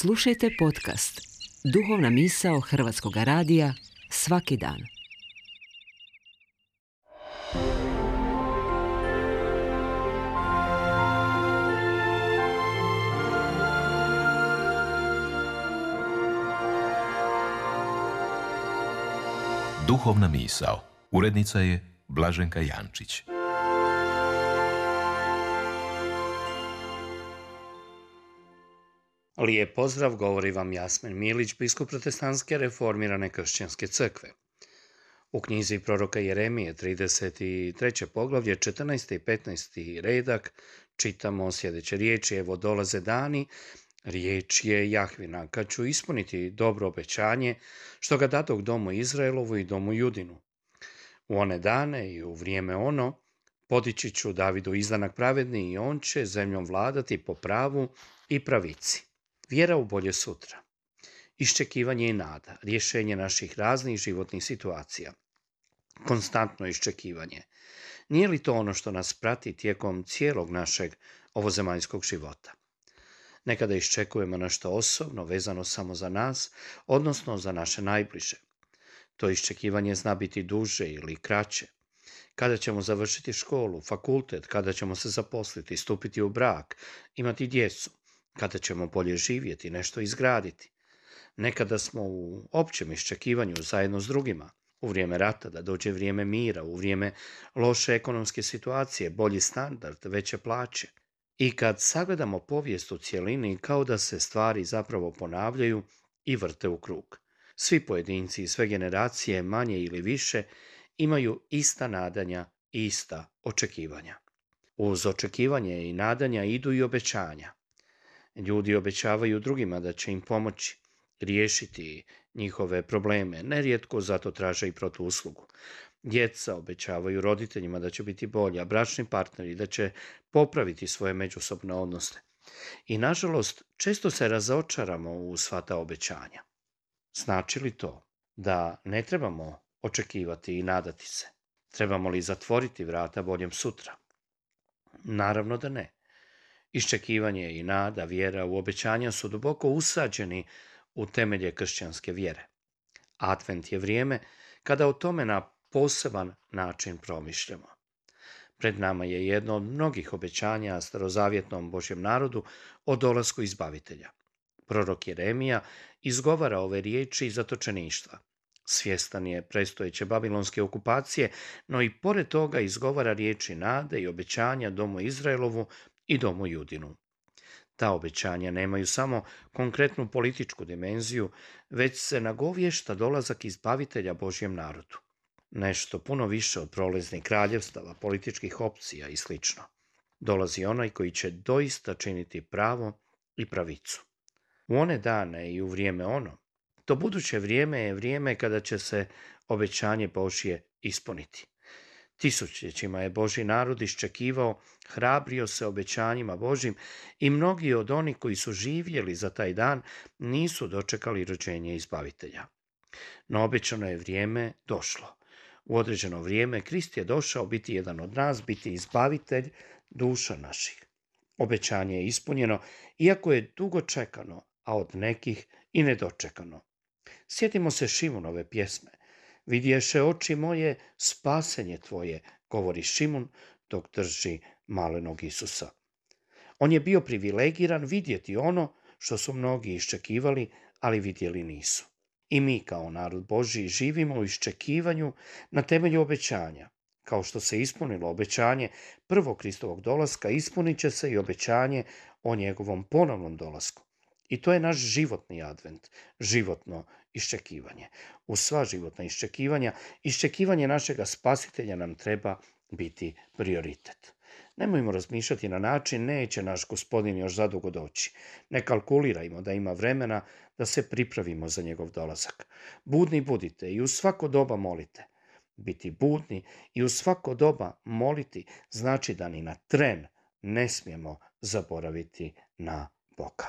Slušajte podcast Duhovna misao Hrvatskog radija svaki dan. Duhovna misao. Urednica je Blaženka Jančić. Lijep pozdrav, govori vam Jasmin Milić, biskup Protestantske reformirane kršćanske crkve. U knjizi proroka Jeremije, 33. poglavlje, 14. i 15. redak, čitamo sljedeće riječi: Evo dolaze dani, riječ je Jahvina, kad ću ispuniti dobro obećanje, što ga dadoh domu Izraelovu i domu Judinu. U one dane i u vrijeme ono, podići ću Davidu izdanak pravedni i on će zemljom vladati po pravu i pravici. Vjera u bolje sutra. Iščekivanje i nada, rješenje naših raznih životnih situacija. Konstantno iščekivanje. Nije li to ono što nas prati tijekom cijelog našeg ovozemaljskog života? Nekada iščekujemo nešto osobno, vezano samo za nas, odnosno za naše najbliže. To iščekivanje zna biti duže ili kraće. Kada ćemo završiti školu, fakultet, kada ćemo se zaposliti, stupiti u brak, imati djecu, kada ćemo bolje živjeti, nešto izgraditi. Nekada smo u općem iščekivanju zajedno s drugima, u vrijeme rata, da dođe vrijeme mira, u vrijeme loše ekonomske situacije, bolji standard, veće plaće. I kad sagledamo povijest u cjelini, kao da se stvari zapravo ponavljaju i vrte u krug. Svi pojedinci i sve generacije, manje ili više, imaju ista nadanja i ista očekivanja. Uz očekivanje i nadanja idu i obećanja. Ljudi obećavaju drugima da će im pomoći, riješiti njihove probleme, nerijetko zato traže i protuuslugu. Djeca obećavaju roditeljima da će biti bolji, a bračni partneri da će popraviti svoje međusobne odnose. I nažalost, često se razočaramo u sva ta obećanja. Znači li to da ne trebamo očekivati i nadati se? Trebamo li zatvoriti vrata boljem sutra? Naravno da ne. Iščekivanje i nada, vjera u obećanja su duboko usađeni u temelje kršćanske vjere. Advent je vrijeme kada o tome na poseban način promišljamo. Pred nama je jedno od mnogih obećanja starozavjetnom Božjem narodu o dolasku izbavitelja. Prorok Jeremija izgovara ove riječi iz zatočeništva. Svjestan je predstojeće babilonske okupacije, no i pored toga izgovara riječi nade i obećanja domu Izraelovu i domu Judinu. Ta obećanja nemaju samo konkretnu političku dimenziju, već se nagovješta dolazak izbavitelja Božjem narodu. Nešto puno više od prolaznih kraljevstava, političkih opcija i sl. Dolazi onaj koji će doista činiti pravo i pravicu. U one dane i u vrijeme ono, to buduće vrijeme je vrijeme kada će se obećanje Božje ispuniti. Tisućljećima je Božji narod iščekivao, hrabrio se obećanjima Božjim i mnogi od onih koji su živjeli za taj dan nisu dočekali rođenje izbavitelja. No obećano je vrijeme došlo. U određeno vrijeme Krist je došao biti jedan od nas, biti izbavitelj duša naših. Obećanje je ispunjeno, iako je dugo čekano, a od nekih i nedočekano. Sjetimo se Šimunove pjesme. Vidješe oči moje spasenje tvoje, govori Šimun dok drži malenog Isusa. On je bio privilegiran vidjeti ono što su mnogi iščekivali, ali vidjeli nisu. I mi kao narod Božji živimo u iščekivanju na temelju obećanja. Kao što se ispunilo obećanje prvog Kristovog dolaska, ispunit će se i obećanje o njegovom ponovnom dolasku. I to je naš životni advent, životno iščekivanje. Uz sva životna iščekivanja, iščekivanje našega spasitelja nam treba biti prioritet. Nemojmo razmišljati na način neće naš Gospodin još zadugo doći. Ne kalkulirajmo da ima vremena da se pripravimo za njegov dolazak. Budni budite i u svako doba molite. Biti budni i u svako doba moliti znači da ni na tren ne smijemo zaboraviti na Boga.